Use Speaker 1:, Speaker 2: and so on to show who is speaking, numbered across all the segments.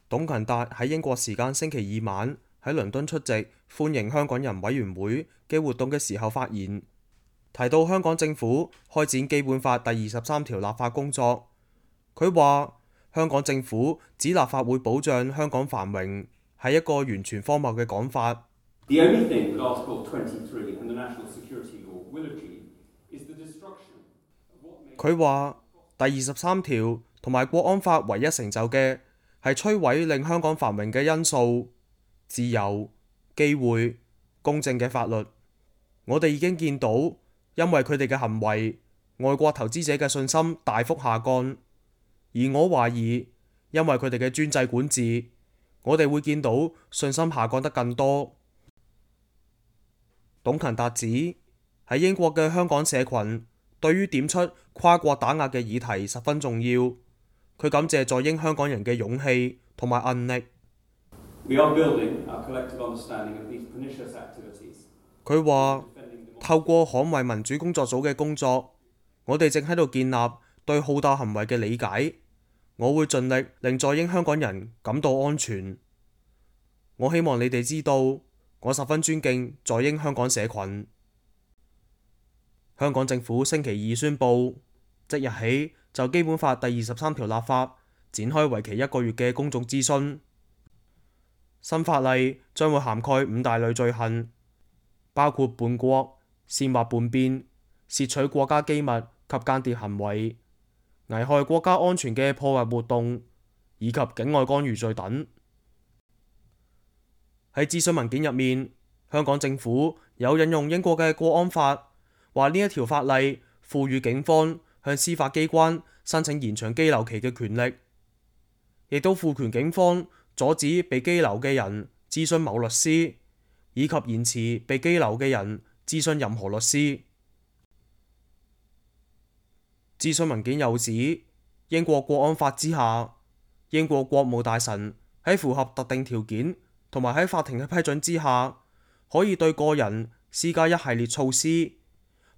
Speaker 1: 董勤達喺英國時間星期二晚喺倫敦出席歡迎香港人委員會嘅活動嘅時候發言，提到香港政府開展基本法第23條立法工作。佢話香港政府指立法會保障香港繁榮係一個完全荒謬嘅講法。佢話第23條同埋國安法唯一成就嘅係摧毀令香港繁榮嘅因素，自由、機會、公正嘅法律。我哋已經見到，因為佢哋嘅行為，外國投資者嘅信心大幅下降。而我懷疑，因為佢哋嘅專制管治，我哋會見到信心下降得更多。董勤達指喺英國嘅香港社群對於點出跨國打壓嘅議題十分重要。佢感謝在英香港人嘅勇氣同埋韌力。佢話透過捍衛民主工作組嘅工作，我哋正喺度建立對好鬥行為嘅理解。我會盡力令在英香港人感到安全。我希望你哋知道，我十分尊敬在英香港社群。香港政府星期二宣布，即日起就基本法第23條立法展開為期1個月嘅公眾諮詢。新法例將會涵蓋5大類罪行，包括叛國、煽惑叛變、竊取國家機密及間諜行為、危害國家安全嘅破壞活動以及境外干預罪等。喺諮詢文件入面，香港政府有引用英國嘅國安法，話呢一條法例賦予警方向司法機關申請延長羈留期嘅權力，亦都賦權警方阻止被羈留嘅人諮詢某律師，以及延遲被羈留嘅人諮詢任何律師。諮詢文件又指，英國國安法之下，英國國務大臣喺符合特定條件同埋喺法庭嘅批准之下，可以對個人施加一系列措施，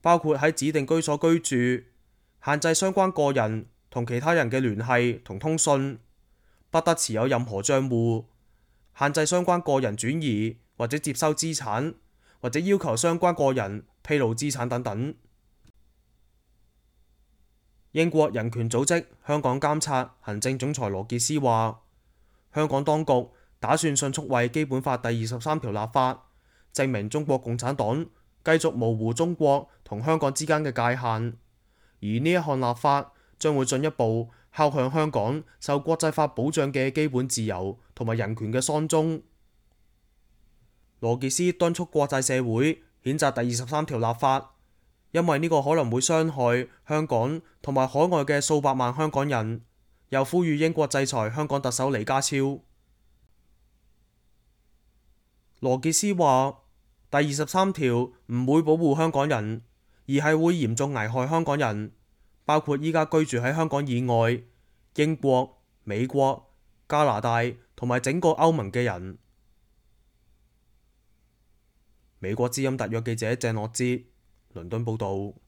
Speaker 1: 包括喺指定居所居住、限制相關個人同其他人嘅聯繫同通訊、不得持有任何帳戶、限制相關個人轉移或者接收資產，或者要求相關個人披露資產等等。英國人權組織香港監察行政總裁羅傑斯話，香港當局打算迅速為基本法第23條立法，證明中國共產黨繼續模糊中國同香港之間嘅界限，而呢一項立法將會進一步敲響香港受國際法保障嘅基本自由同埋人權嘅喪鐘。羅傑斯敦促國際社會譴責第23條立法，因為呢個可能會傷害香港同埋海外嘅數百萬香港人，又呼籲英國制裁香港特首李家超。羅傑斯話，第23條唔會保護香港人，而係會嚴重危害香港人，包括依家居住喺香港以外、英國、美國、加拿大同埋整個歐盟嘅人。美國之音特約記者鄭樂哲倫敦報導。